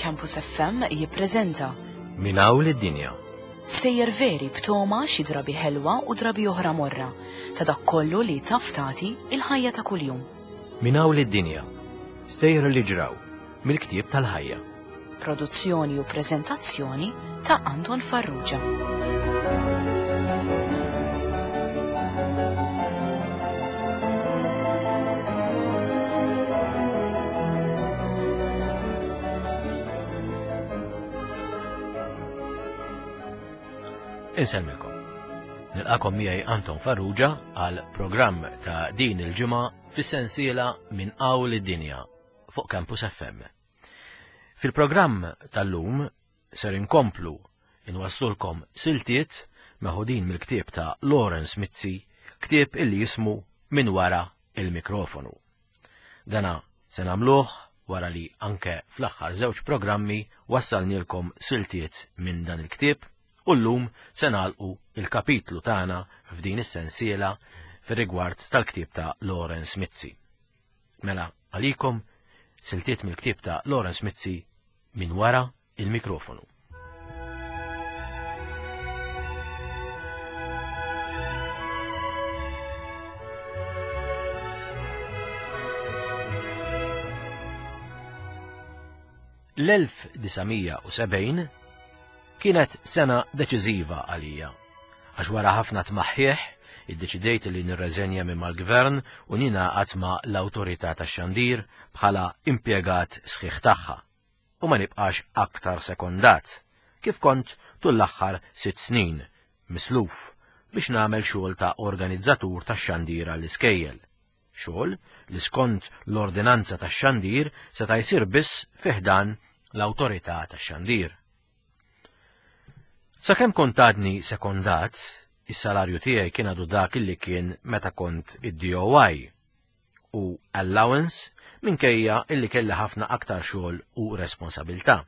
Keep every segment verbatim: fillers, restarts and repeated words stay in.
Campus F M jippreżenta Minn hawn lid-dinja. Stejjer veri b'togħma xi drabi ħelwa u drabi oħra morra ta' dak kollu li taf tagħti il-ħajja ta' kuljum. Minn hawn lid-dinja. Stejjer li ġraw mill-ktieb tal-ħajja. Produzzjoni u preżentazzjoni ta' Anton Farrugia. Insellmilkom. Nilqakom miegħi Anton Farrugia għal programm ta' din il-ġimgħa fis-sensiela Minn Hawn id-Dinja fuq Campus F M. Fil-programm tal-lum ser inkomplu inwasslulkom siltiet meħudin mill-ktieb ta' Lawrence Mizzi, ktieb illi jismu Min Wara il-Mikrofonu. Dana se nagħmluh wara li anke fl-aħħar żewġ programmi wassalnilkom siltiet minn dan il-ktieb u llum se nagħlqu il-kapitlu tagħna f'din is-sensiela fir-rigward tal-ktieb ta' Lawrence Mizzi. Mela għalikom siltiet mill-ktieb ta' Lawrence Mizzi, Min Wara il-Mikrofonu. L-elf disa' mija u sebgħin kienet sena deċiżiva għalija, għax wara ħafna tmaħħieħ iddeċidejt li nirreżenja minn mal-gvern u ningħaqad ma' l-Awtorità tax-Xandir bħala impjegat sħiħ tagħha u ma nibqax aktar sekondat, kif kont tul l-aħħar sitt snin, misluf biex nagħmel xogħol ta' organizzatur tax-xandir għall-iskejjel. Xogħol li skont l-ordinanza tax-xandir seta' jsir biss fi ħdan l-Awtorità tax-Xandir. Sakemm kont għadni sekondat, is-salarju tiegħi kien għadu dak li kien meta kont id-D O I u allowance, minkejja illi kelli ħafna aktar xogħol u responsabilità.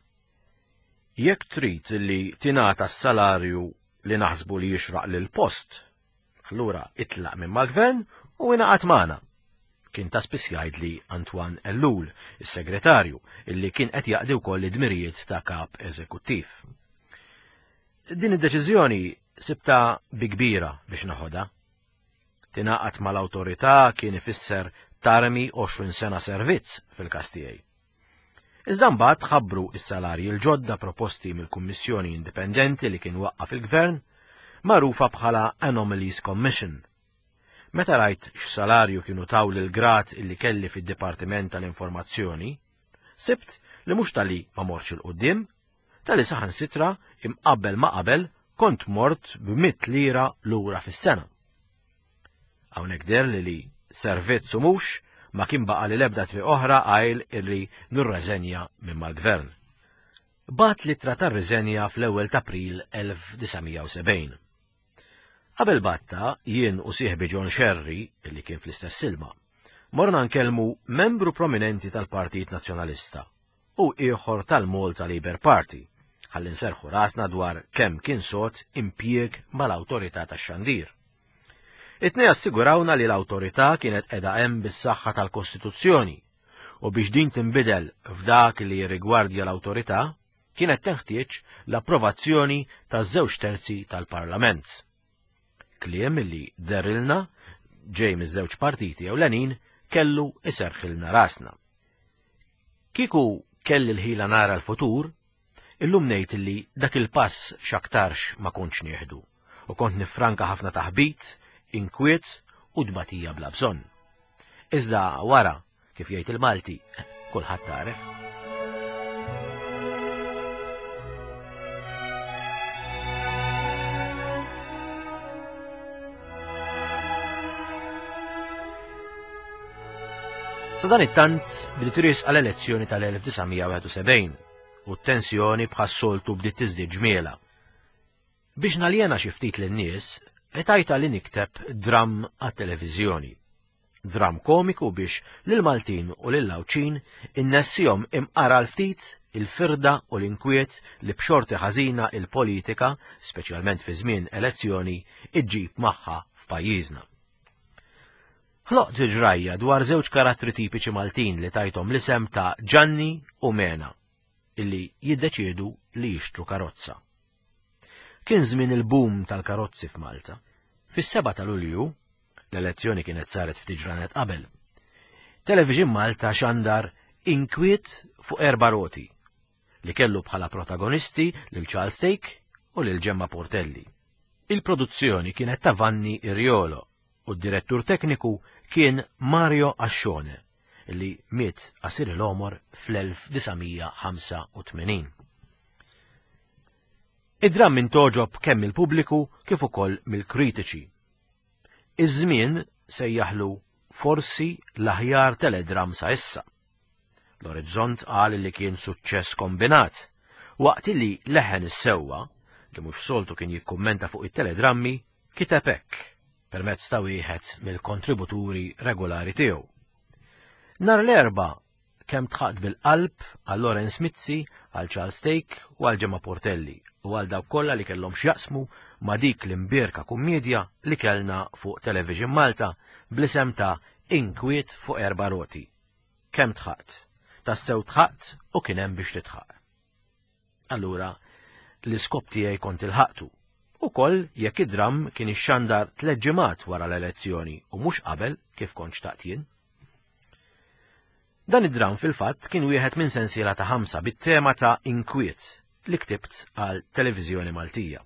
"Jekk trid li tingħata s-salarju li naħsbu li jixraq lil post, allura itlaq minn mal-gvern u ingħaqad magħna," kien ta' spiss jgħidli Antoine Ellul, is-segretarju, illi kien qed jaqdi wkoll id-dmirijiet ta' kap eżekuttiv. Din id-deċiżjoni sibta bi kbira biex naħodha. Tingħaqad mal-awtorità kien ifisser tarmi għoxrin sena servizz fil-każ tiegħi. Iżda mbagħad ħabbru is-salarji l-ġodda proposti mill-Kummissjoni Indipendenti li kien waqqaf il-Gvern, magħrufa bħala Anomalies Commission. Meta rajt x'salarju kienu taw lil grad illi kelli fid-Dipartiment tal-Informazzjoni, sibt li mhux talli ma mortx 'il quddiem, talli saħansitra imqabbel ma qabel kont mort b'mitt lira lura fis-sena. Hawnhekk deher li li servizz u mhux ma kien baqa li lebda triq oħra għajr illi nirreżenja minn mal-gvern. Bgħatt l-ittra tar-riżenja fl-ewwel ta' April elf disa' mija u sebgħin. Qabel bgħattha, jien u sieħbi John Sherry, illi kien fl-istess ilma, morna nkellmu membru prominenti tal-Partit Nazzjonalista u ieħor tal-Malta Labour Party, ħalli nserħu rasna dwar kemm kien sod impjieg mal-Awtorità tax-Xandir. It-tnejn assigurawna li l-awtorità kienet qiegħda hemm bis-saħħa tal-Kostituzzjoni u biex din tinbidel f'dak li jirrigwardja l-awtorità kienet teħtieġ l-approvazzjoni ta' żewġ terzi tal-Parlament. Kliem li dehrilna ġej miż-żewġ partiti ewlenin kellu iserħilna rasna. Kieku kelli l-ħila nara l-futur, illum ngħid li dak il-pass x'aktarx ma kontx nieħdu u kont nifranka ħafna taħbit, inkwiet u dbatija bla bżonn. Iżda wara, kif jgħid il-Malti, kulħadd għaref. Sa dan it-tant bdiet riesqa l-elezzjoni tal-elf disa' mija u wieħed u sebgħin u t-tensjoni bħas-soltu bdiet tiżdied ġmiela. Biex naljena xi ftit lin-nies, qtajtha li nikteb dram għat-televiżjoni. Dram komiku biex lil-Maltin u lil-Għawdxin innessihom imqar ftit il-firda u l-inkwiet li b'xorti ħażina il-politika, speċjalment fi żmien elezzjoni, iġġib magħha f'pajjiżna. Ħloqt ġrajja dwar żewġ karattri tipiċi Maltin li tajthom l-isem ta' Ġanni u Mena. illi jiddeċiedu li jixtru karozza. Kien żmien il-boom tal-karozzi f'Malta. Fis-seba ta' Lulju, l-elezzjoni kienet saret ftit ġranet qabel, Television Malta xandar Inkwiet fuq erba' roti li kellu bħala protagonisti lil Charles Thake u lil Gemma Portelli. Il-produzzjoni kienet ta' Vanni Iriolo u d-direttur tekniku kien Mario Ascione li miet qasir l-għomor fl-elf disa' mija ħamsa u tmenin. Id-dramm intogħġob kemm mill-pubbliku kif ukoll mill-kritiċi. Iż-żmien sejjaħlu forsi l-aħjar teledram sa issa. L-Orizzont qal li kien suċċess kombinat, waqt li Leħen is-Sewwa, li mhux soltu kien jikkummenta fuq it-teledrammi, kiteb hekk permezz ta' wieħed mill-kontributuri regolari tiegħu. Nhar l-Erbgħa kemm tħaqt bil-qalb għal Lawrence Mizzi, għal Charles Thake u għal Gemma Portelli u għal dawk kollha li kellhom x'jaqsmu ma' dik l-imbierka kummedja li kellna fuq Television Malta bl-isem ta' Inkwiet fuq erba' roti. Kemm tħaqt? Tassew tħaqt u kien hemm biex titħaq. Allura, l-iskop tiegħi kont ilħaqtu. Ukoll jekk id-dramm kien ixxandar tliet ġimgħat wara l-elezzjoni u mhux qabel kif kont xtaqt jien. Dan id-dramm fil-fatt kien wieħed minn sensiela ta' ħamsa bit-tema ta' inkwiet li ktibt għal Televiżjoni Maltija.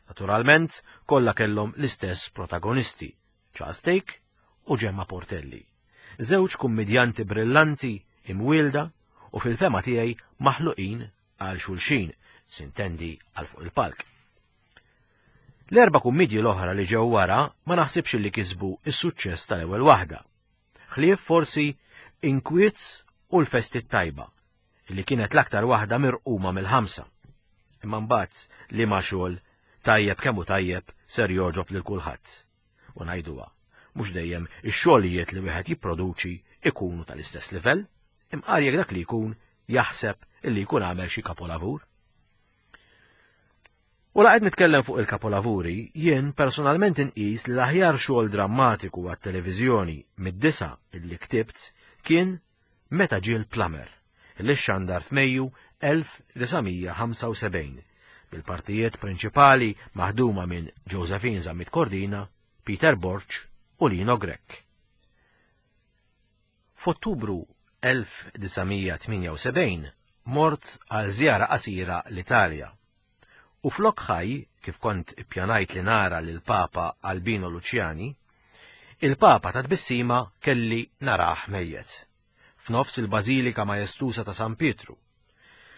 Naturalment, kollha kellhom l-istess protagonisti, Charles Thake u Gemma Portelli. Żewġ kummedjanti brillanti imwielda u fil-fema tiegħi maħluqin għal xulxin, sintendi għal fuq il-palk. L-erba' kummedji l-oħra li ġew wara ma naħsibx li kisbu is-suċċess tal-ewwel waħda. Ħlief forsi Inkwiet u l-Festi Tajba, li kienet l-aktar waħda mirquma mill-ħamsa. Imma mbagħad li ma xogħol tajjeb kemm hu tajjeb ser jogħġob lil kulħadd. U ngħiduha, mhux dejjem ix-xogħlijiet li wieħed jipproduċi ikunu tal-istess livell, imqar jekk dak li jkun jaħseb illi jkun għamel xi kapolavur. U la qed nitkellem fuq il-kapolavuri, jien personalment inqis li l-aħjar xogħol drammatiku għat-televiżjoni mid-disa illi ktibt kien Meta ġie l-Plumber, li xandar f'Mejju elf disa' mija ħamsa u sebgħin, bil-partijiet prinċipali maħduma minn Josephine Zammit Cordina, Peter Borg u Lino Grech. F'Ottubru elf disa' mija tmienja u sebgħin mort għal żjara qasira l-Italja. U flok ħaj, kif kont ippjanajt li nara lil Papa Albino Luciani, il-Papa ta' tbissima kelli narah mejjet, f'nofs il-Bażilika Majestusa ta' San Pietru.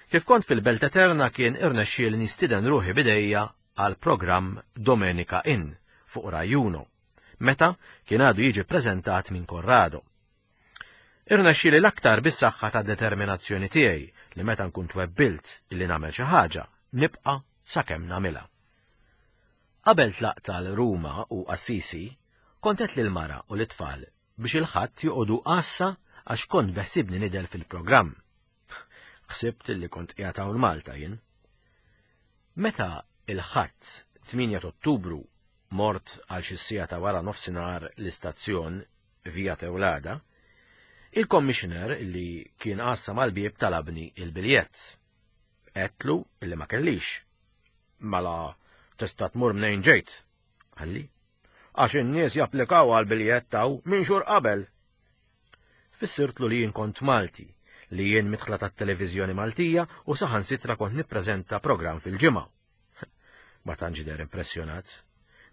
Kif kont fil-Belt Eterna kien irnexxieli nistieden ruħi bidejja għal programm Domenica In fuq Rai Uno, meta kien għadu jiġi preżentat minn Corrado. Irnexxieli l-aktar bis-saħħa ta' determinazzjoni tiegħi li meta nkun twebbilt illi nagħmel xi ħaġa, nibqa' sakemm nagħmilha. Qabel tlaqt għal Ruma u Assisi, kont għedt lill-mara u l-itfal biex il-ħadd joqogħdu għassa għax kont beħsibni nidher fil-programm. Ħsibt li kont qiegħed hawn Malta jien. Meta il-ħadd tmienja ta' Ottubru mort għal xi siegħa ta' wara nofsinhar l-istazzjon Via Teulada, il-commissioner li kien għassa mal-bieb talabni il-biljett. Għedtlu illi ma kellix. Mela tista' tmur mnejn ġejt, qalli. Għax in-nies japplikaw għal biljett taw minn xhur qabel. Fissirtlu li jien kont Malti, li jien mitħla tat-televiżjoni Maltija u saħansitra kont nippreżenta programm fil-ġimgħa. Ma tantx deher impressjonat.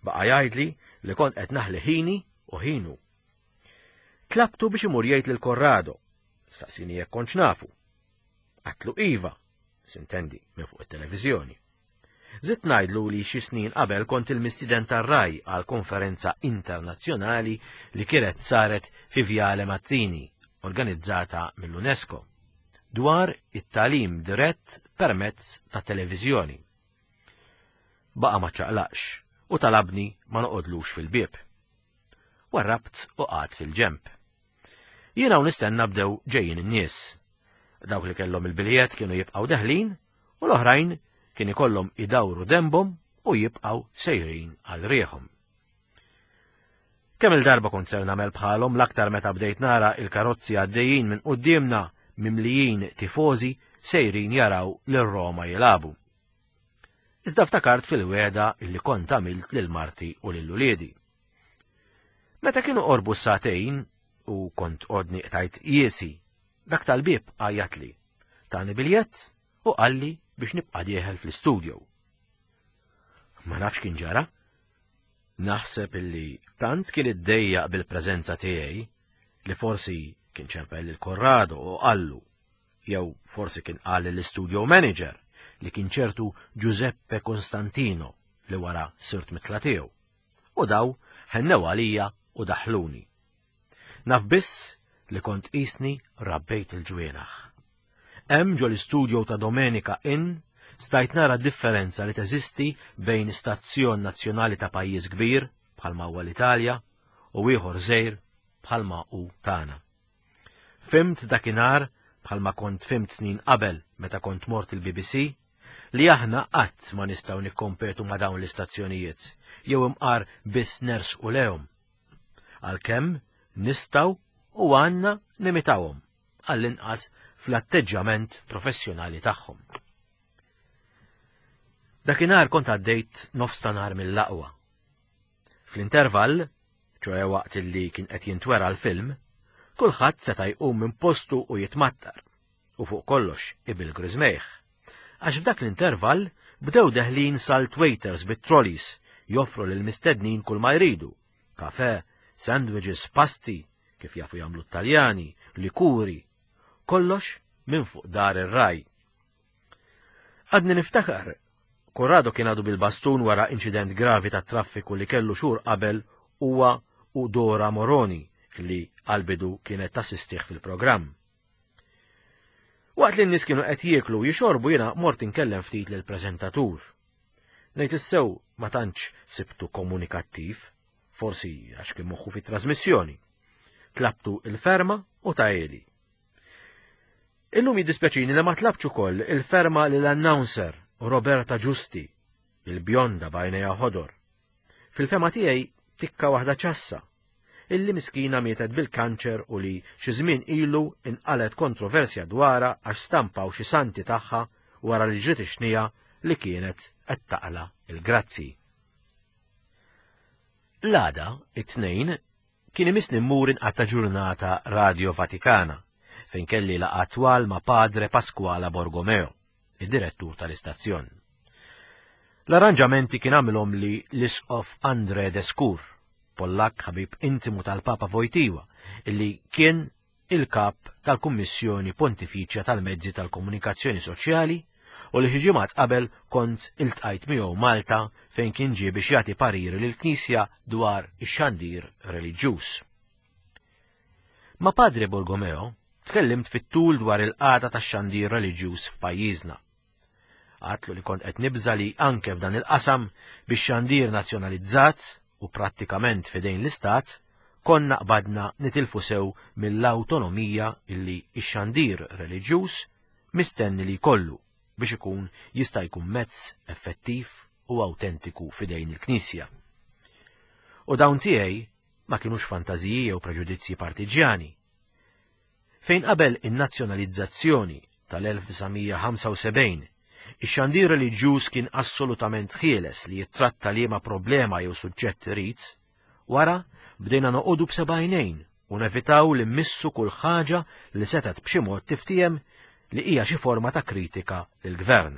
Baqa' jgħidli li kont qed naħli ħini u ħinu. Tlabtu biex imur jgħid lil Corrado. Staqsini jekk kontx nafu. Għatlu iva, sintendi, minn fuq it-televiżjoni. Żidt ngħidlu li xi snin qabel kont il-mistieden tar-Rai għal konferenza internazzjonali li kienet saret fi Viale Mazzini, organizzata mill-UNESCO, dwar it-tagħlim dirett permezz ta' televiżjoni. Baqa' ma ċaqlaqx u talabni ma noqodlux fil-bieb. Warrabt u qgħadt fil-ġemp. Jiena u nistenna bdew ġejjin in-nies. Dawk li kellhom il-biljett kienu jibqgħu deħlin u l-oħrajn kien ikollhom idawru dembhom u jibqgħu sejrin għal rieħhom. Kemm il-darba kont ser nagħmel bħalhom l-aktar meta bdejt nara il-karozzi għaddejjin minn quddiemna mimlijin tifożi sejrin jaraw lil Roma jilagħbu. Iżda ftakart fil-wegħda illi kont għamilt lil marti u lil uliedi. Meta kienu qorbu s-sagħtejn u kont għodni qtajt jiesi, dak tal-bieb għajjatli, tani biljett u qalli biex nibqa' dieħel fl-istudio. Ma nafx kien ġara. Naħseb illi tant kien iddejjaq bil-preżenza tiegħi li forsi kien ċempel lil Corrado u qallu, jew forsi kien qal lill-studio manager li kien ċertu Giuseppe Costantino li wara sirt mitla tiegħu. U daw ħennew għalija u daħluni. Naf biss li kont qisni rabbejt il-ġwienaħ. Hemm ġo l-istudio ta' Domenica In stajt nara differenza li teżisti bejn stazzjon nazzjonali ta' pajjiż kbir bħalma huwa l-Italja u ieħor żgħir bħalma hu tagħna. Fimt dakinhar bħalma kont fimt snin qabel meta kont mort il-B B C li aħna qatt ma nistgħu nikkompetu ma' dawn l-istazzjonijiet jew imqar biss nersqu lehom. Għalkemm nistgħu u għandna nimitawhom għall-inqas fl-atteġġjament professjonali tagħhom. Dakinhar kont għaddejt nofs ta' nhar mill-aqwa. Fl-intervall, ċoe waqt li kien qed jintwera l-film, kulħadd seta' jqum minn postu u jitmattar, u fuq kollox ibil griżmejh. Għax f'dak l-intervall bdew deħlin salt waiters bit-trolleys joffru lil mistednin kull ma jridu, kafe, sandwiches, pasti, kif jafu jagħmlu t-Taljani, likuri, kollox minn fuq dar ir-raj. Għadni niftakar, Corrado kien għadu bil-bastun wara inċident gravi ta' traffiku li kellu xhur qabel huwa u Dora Moroni li għal-bidu kienet tassistih fil-programm. Waqt li n-nies kienu qed jieklu u jixorbu jiena mort inkellem ftit lill-preżentatur. Ngħid issew ma tantx sibtu komunikattiv, forsi għax kien moħħu fit-trasmissjoni. Tlabtu il-ferma u tajeli. Illum jiddispjaċini li ma tlabx ukoll il-ferma lill-announcer Roberta Giusti, il-bjonda b'għajnejha ħodor. Fil-fema tiegħi tikka waħda ċassa, illi miskina mietet bil-kanċer u li xi żmien ilu inqalet kontroversja dwarha għax stampaw xi santi tagħha wara li ġiet ixnija li kienet qed taqla il-grazzi. L-għada, it-tnejn, kien imissni mmur inqatta' ġurnata Radio Vaticana, fejn kelli laqgħa twal ma' Padre Pasquale Borgomeo, id-direttur tal-istazzjon. L-arranġamenti kien għamilhom li l-isqof Andre Deskur, Pollak ħabib intimu tal-Papa Wojtyła, illi kien il-kap tal-Kummissjoni Pontifiċja tal-Mezzi tal-Komunikazzjoni Soċjali u li xi ġimgħat qabel kont iltqajt miegħu Malta fejn kien ġie biex jagħti pariri lill-Knisja dwar ix-xandir reliġjuż. Ma' Padre Borgomeo tkellimt fit-tul dwar il-qagħda tax-xandir reliġjuż f'pajjiżna. Għatlu li kont qed nibża li anke f'dan il-qasam biex xandir nazzjonalizzat u prattikament f'idejn l-Istat, konna qbadna nitilfu sew mill-awtonomija illi x-xandir reliġjuż mistenni li jkollu biex ikun jista' jkun mezz effettiv u awtentiku f'idejn il-Knisja. U dawn tiegħi ma kinux fantażiji jew preġudizzji partiġjani. Fejn qabel in-nazzjonalizzazzjoni tal-elf disa' mija ħamsa u sebgħin, ix-xandir reliġjuż kien assolutament ħieles li jittratta liema problema jew suġġett irid, wara bdejna noqogħdu b'seba' għajnejn u nevitaw li mmissu kull ħaġa li setgħet b'xi mod tiftiem li hija xi forma ta' kritika lill-gvern.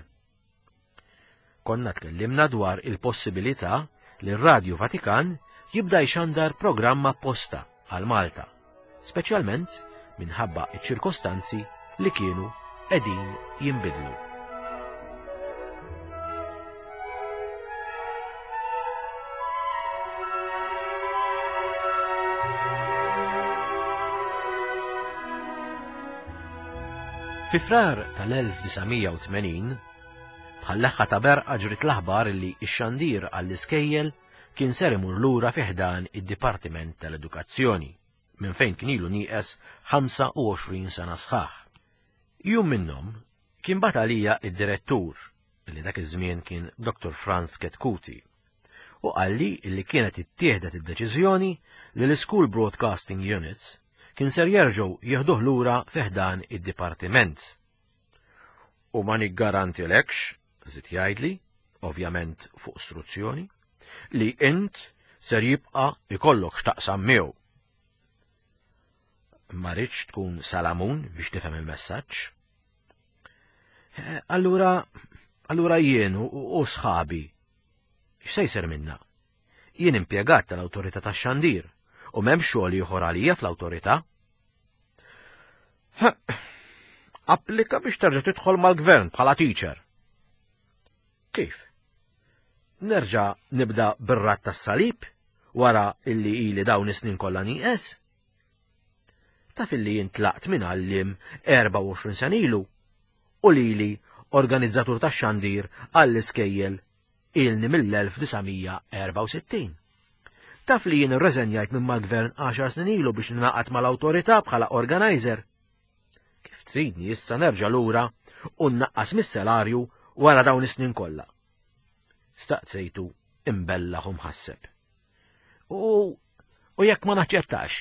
Konna tkellimna dwar il-possibilità li r-Radju Vatikan jibda jxandar programm apposta għal Malta, speċjalment minħabba iċ-ċirkostanzi li kienu qegħdin jinbidlu. Fi frar tal-elf disa' mija u tmenin, bħal-leħħa ta' berqa ġrit l-aħbar li x-xandir għall-iskejjel kien ser imur lura fi ħdan id-Dipartiment tal-Edukazzjoni, minn fejn kien ilu nieqes ħamsa u għoxrin sena sħaħ. Jum minnhom kien bat għalija id-direttur, li dak iż-żmien kien Doktor Franz Chetcuti, u qalli li kienet ittieħdet id-deċiżjoni li l-School Broadcasting Units kien ser jerġgħu jieħduh lura fi ħdan id-dipartiment. U ma niggarantilekx, żied jgħidli, ovvjament fuq istruzzjoni, li int ser jibqa' ikollok x'taqsam miegħu. Ma ridx tkun Salamun biex tifhem il-messaġġ. Allura, allura jien u sħabi, x'se jsir minna? Jien impjegat tal-Awtorità tax-Xandir u m'hemm xogħol ieħor għalija fl-awtorità. Applika biex terġa' tidħol mal-gvern bħala teacher. Kif? Nerġa' nibda bir-rat tas-salib wara illi ili dawn is-snin kollha nieqes? Taf illi jien tlaqt minn għalliem erbgħa u għoxrin sena ilu u lili organizzatur tax-xandir għall-iskejjel ilni mill-elf disa' mija erbgħa u sittin. Taf li jien irreżenjajt minn mal-gvern għaxar snin ilu biex ninaqat mal-awtorità bħala organizer. Kif tridni issa nerġa' lura u nnaqqas mis-salarju wara dawn is-snin kollha? Staqsejtu imbellaħ u mħasseb. U, u jekk ma naċċettax,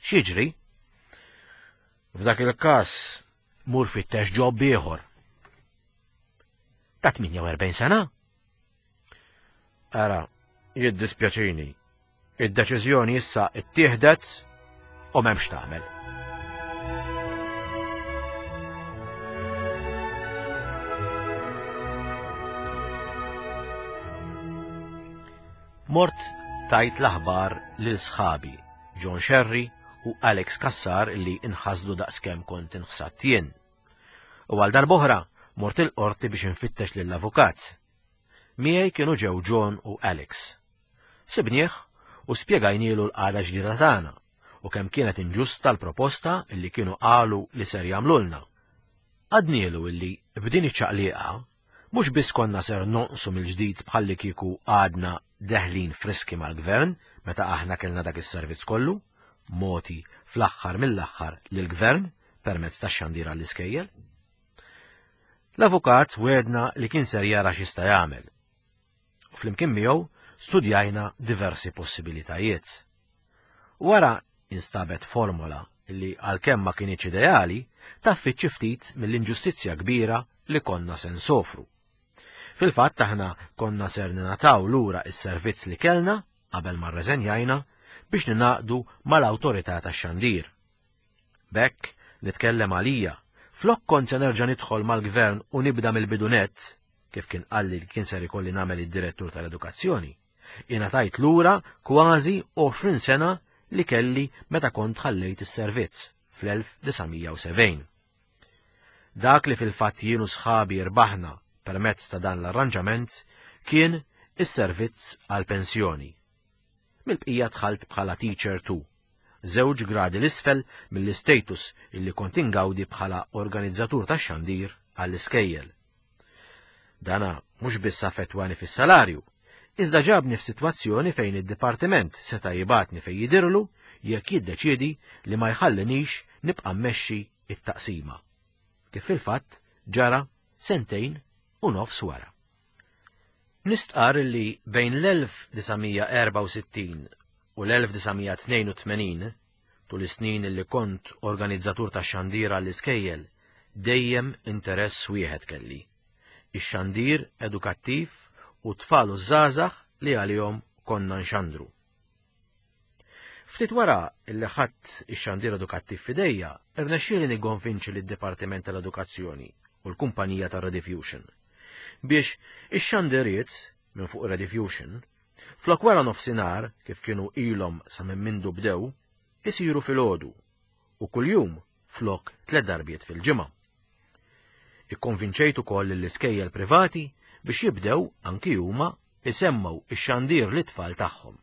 x'jiġri? F'dak il-każ mur fittex ġob ieħor. Ta' tmienja u erbgħin sena? Ara, jiddispjaċini. Id-deċiżjoni issa ittieħdet u m'hemmx tagħmel. Mort tajt l-aħbar lil sħabi John Scerri u Alex Cassar li inħasdu daqskemm kont inħsadt jien. U għal darb'oħra mort il-qorti biex infittex lill-avukat. Miegħi kienu ġew John u Alex. Sibnieh u spjegajnielu l-qagħda ġdida tagħna u kemm kienet inġusta l-proposta illi kienu qalu li ser jagħmlulna. Għadnielu illi b'din iċ-ċaqliqa mhux biss konna ser nonqsu mill-ġdid bħalli kieku għadna deħlin friski mal-gvern meta aħna kellna dak is-servizz kollu, moti fl-aħħar mill-aħħar lill-gvern permezz tax-xandir għall-iskejjel. L-avukat wedna li kien ser jara x'jista' jagħmel. U flimkien miegħu studjajna diversi possibilitajiet. Wara instabet formola li għalkemm ma kienx ideali, taffi xi ftit mill-inġustizzja kbira li konna se nsofru. Fil-fatt aħna konna ser ninataw lura is-servizz li kellna qabel ma rreżenjajna biex ninaqdu mal-awtorità tax-xandir. B'hekk nitkellem għalija, flok kont se nerġa' nidħol mal-gvern u nibda mill-bidunet, kif kien qalli li kien ser ikolli nagħmel id-direttur tal-edukazzjoni, ingħatajt lura kważi għoxrin sena li kelli meta kont ħallejt is-servizz fl-elf disa' mija u sebgħin. Dak li fil-fatt jien u sħabi rbaħna permezz ta' dan l-arranġament kien is-servizz għal-pensjoni. Mill-bqija dħalt bħala teacher two, żewġ gradi l-isfel mill-istatus illi kont ingawdi bħala organizzatur tax-xandir għall-iskejjel. Dana mhux biss affettwani fis-salarju, iżda ġabni f'sitwazzjoni fejn id-dipartiment seta' jibgħatni fejn jidirlu jekk jiddeċiedi li ma jħallinix nibqa' mmexxi it-taqsima. Kif fil-fatt ġara sentejn u nofs wara. Nistqar li bejn l-elf disa' mija erbgħa u sittin u l-elf disa' mija tnejn u tmenin, tul is-snin li kont organizzatur tax-xandir għall-iskejjel, dejjem interess wieħed kelli: ix-xandir edukattiv u tfal u żgħażagħ li għalihom konna nxandru. Ftit wara li ħadt ix-xandir edukattiv f'idejja, irnexxieli nikkonvinċi lid-Dipartiment tal-Edukazzjoni u l-kumpanija tar-Rediffusion biex ix-xandiriet minn fuq Rediffusion, flok wara nofsinhar kif kienu ilhom sa minn mindu bdew, isiru filgħodu u kuljum flok tliet darbiet fil-ġimgħa. Ikkonvinċejt ukoll lill-iskejjel privati biex jibdew anki huma isemmgħu ix-xandir lit-tfal tagħhom.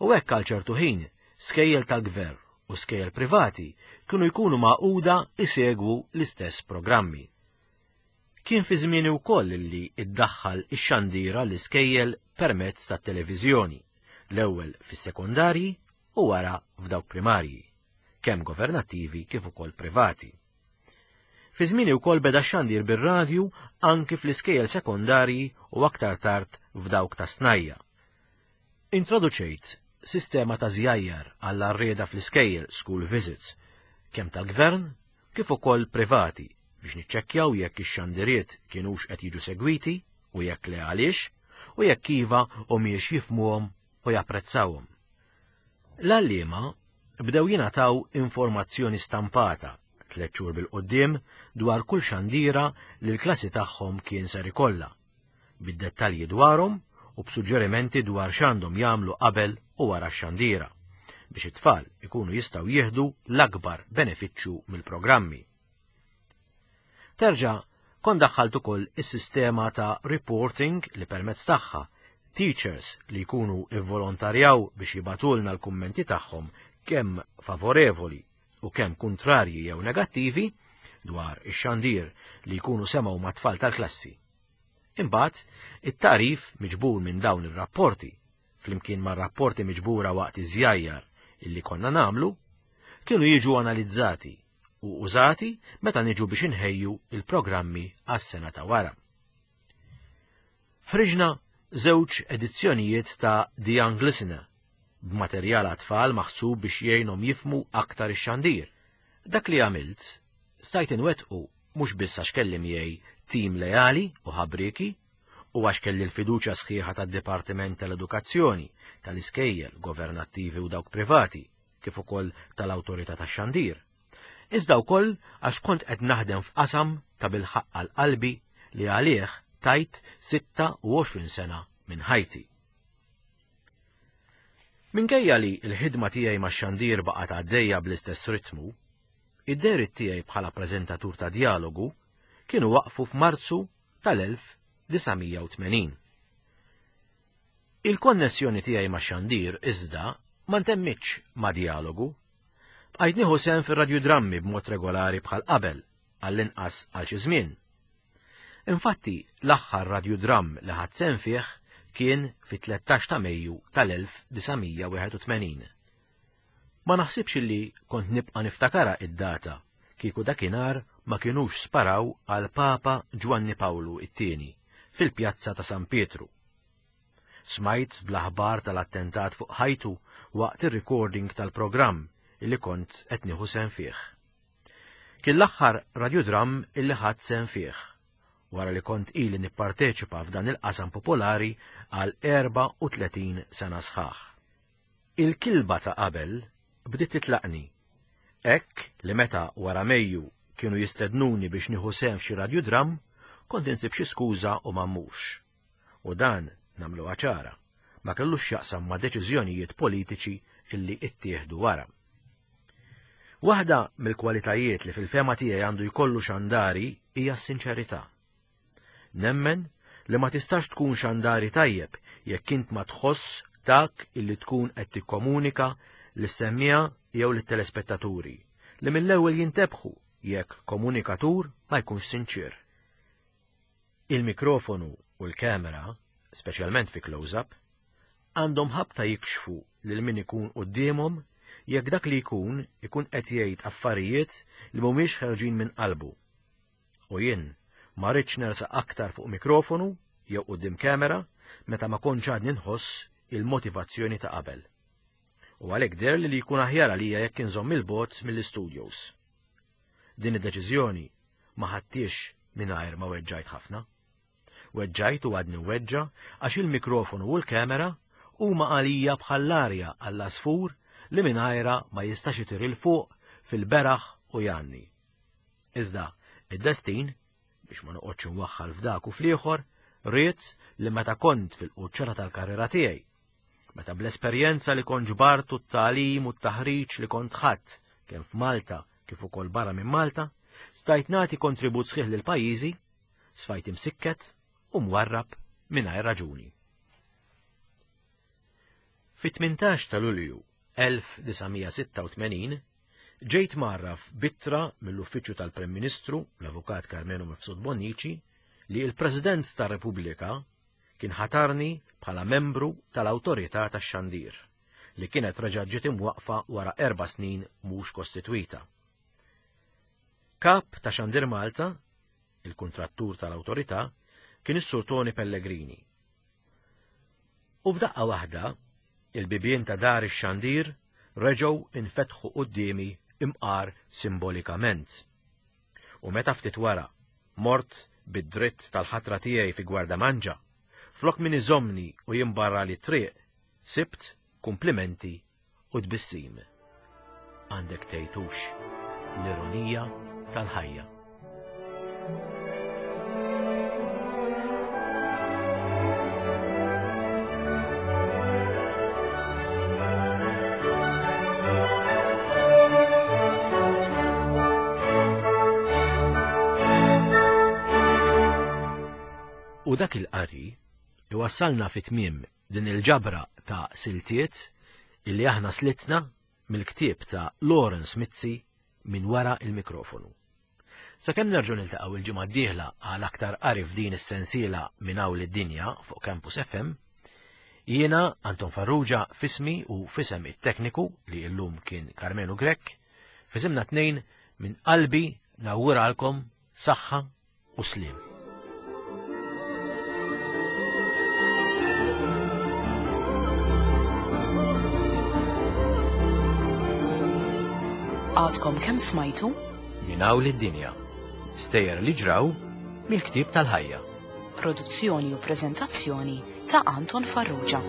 U hekk għal ċertu ħin skejjel tal-gvern u skejjel privati kienu jkunu magħquda isegwu l-istess programmi. Kien fi żmieni wkoll li iddaħħal ix-xandira l-iskejjel permezz tat-televiżjoni, l-ewwel fis-sekondarji u wara f'dawk primarji, kemm governattivi kif ukoll privati. Fi żmieni wkoll beda x-xandir bir-radju anki fl-iskejjel sekondarji u aktar tard f'dawk ta' snajja. Introduċejt sistema ta' żjajjar għall-arrieda fl-iskejjel school visits, kemm tal-gvern kif ukoll privati, biex niċċekkjaw jekk ix-xandiriet kienux qed jiġu segwiti u jekk le għaliex, u jekk iva humiex jifhmuhom u japprezzawhom. L-għalliema bdew jingħataw informazzjoni stampata tliet xhur bil-quddiem dwar kull xandira li l-klassi tagħhom kien ser ikollha, bid-dettalji dwarhom u b'suġġerimenti dwar x'għandhom jagħmlu qabel u wara x-xandira biex it-tfal ikunu jistgħu jieħdu l-akbar benefiċċju mill-programmi. Terġa' kont daħħalt ukoll is-sistema ta' reporting li permezz tagħha teachers li jkunu ivvolontarjaw biex jibagħtulna l-kummenti tagħhom kemm favorevoli u kemm kuntrarji jew negattivi dwar ix-xandir li jkunu semgħu mat-tfal tal-klassi. Imbagħad, it-tagħrif miġbur minn dawn ir-rapporti, flimkien mar-rapporti miġbura waqt iż-żjajjar illi konna nagħmlu, kienu jiġu analizzati u użati meta niġu biex inħejju il-programmi għas-sena ta' wara. Ħriġna żewġ edizzjonijiet ta' The Young Listener b'materjal għat-tfal maħsub biex jgħinhom jifhmu aktar ix-xandir. Dak li għamilt stajt inwettqu mhux biss għax kelli miegħi tim leali u ħabrieki u għax kelli l-fiduċja sħiħa tad-Dipartiment tal-Edukazzjoni, tal-Iskejjel, governattivi u dawk privati, kif ukoll tal-Awtorità tax-Xandir. Iżda wkoll għax kont qed naħdem f'qasam ta' bilħaqq għal qalbi li għalih tajt sitta u għoxrin sena minn ħajti. Minkejja li l-ħidma tiegħi max-xandir baqgħet għaddejja bl-istess ritmu, id-dehriet tiegħi bħala preżentatur ta' Djalogu kienu waqfu f'Marzu tal-elf disa' mija u tmenin. Il-konnessjoni tiegħi max-xandir iżda ma ntemmitx ma' Djalogu. Bqajt nieħu sehem fir-radjudrammi b'mod regolari bħal qabel, għall-inqas għal xi żmien. Infatti, l-aħħar radjudramm li ħadt sehem fih kien fit-tlettax ta' Mejju tal-elf disa' mija wieħed u tmenin. Ma naħsibx li kont nibqa' niftakara id-data kieku dakinhar ma kinux sparaw għal Papa Ġwanni Pawlu it-tieni fil-pjazza ta' San Pietru. Smajt bl-aħbar tal-attentat fuq ħajtu waqt ir-recording tal-programm illi kont qed nieħu sehem fih. Kien l-aħħar radjudramm illi ħadt sehem fih, wara li kont ili nipparteċipa f'dan il-qasam popolari għal erba' u tletin sena sħaħ. Il-kilba ta' qabel bdiet titlaqni, hekk li meta wara Mejju kienu jistednuni biex nieħu sehem f'xi radjudramm, kont insib xi skuża u ma mmurx. U dan nagħmluha ċara, ma kellux x'jaqsam ma' deċiżjonijiet politiċi illi ittieħdu wara. Waħda mill-kwalitajiet li fil-fehma tiegħi għandu jkollu xandari hija s-sinċerità. Nemmen li ma tistax tkun xandari tajjeb jekk int ma tħoss dak illi tkun qed tikkomunika lis-semmiegħa jew lit-telespettaturi li mill-ewwel jintebħu jekk komunikatur ma jkunx sinċir. Il-mikrofonu u l-kamera, speċjalment fi close-up, għandhom ħabta jikxfu lil min ikun quddiemhom jekk dak li jkun ikun qed jgħid affarijiet li mhumiex ħerġin minn qalbu. U jien ma rridx nersaq aktar fuq mikrofonu jew quddiem kamera meta ma kontx għadni nħoss il-motivazzjoni ta' qabel. U għalhekk deher li li jkun aħjar għalija jekk inżomm il-bogħod mill-istudios. Din id-deċiżjoni ma ħadtix mingħajr ma weġġajt ħafna. Weġġajt u għadni weġġa għax il-mikrofonu u l-kamera huma għalija bħall-arja għall-għasfur li mingħajra ma jistax itir il fuq fil-beraħ u jgħanni. Iżda id-destin, biex ma noqgħodx nwaħħal f'dak u fl-ieħor, ried li meta kont fil-quċċata tal-karriera tiegħi, meta bl-esperjenza li kont ġbart u t-tagħlim u t-taħriġ li kont ħadt kemm f'Malta kif ukoll barra minn Malta, stajt nagħti kontribut sħiħ lil pajjiżi, sfajt imsikket u mwarrab mingħajr raġuni. Fit-tmintax ta' Lulju elf disa' mija sitta u tmenin ġejt mgħarraf b'ittra mill-Uffiċċju tal-Prim Ministru, l-Avukat Karmenu Mifsud Bonnici, li l-President tar-Repubblika kien ħatarni bħala membru tal-Awtorità tax-Xandir, li kienet reġa' ġiet imwaqfa wara erba' snin mhux kostitwita. Kap ta' Xandir Malta, il-kuntrattur tal-Awtorità, kien is-Sur Tony Pellegrini. U f'daqqa waħda, il-bibien ta' dar ix-xandir reġgħu infetħu quddiemi imqar simbolikament. U meta ftit wara mort bid-dritt tal-ħatra tiegħi fi Gwardamanġa, flok min iżomni u jimbarra li triq, sibt kumplimenti u tbissim. Għandek tgħidux l-ironija tal-ħajja. U dak il-qari iwassalna fi tmiem din il-ġabra ta' siltiet illi aħna slitna mill-ktieb ta' Lawrence Mizzi minn wara il-mikrofonu. Sakemm nerġgħu niltaqgħu il-ġimgħa d-dieħla għal aktar qari f'din is-sensiela minn hawn lid-dinja fuq Campus F M, jiena Anton Farrugia f'ismi u f'isem it-tekniku li llum kien Carmenu Grech, f'isimna tnejn minn qalbi nawguralkom saħħa u sliem. Għadkom kemm smajtu? Minn hawn lid-dinja. Stejjer li ġraw mill-ktieb tal-ħajja. Produzzjoni u preżentazzjoni ta' Anton Farrugia.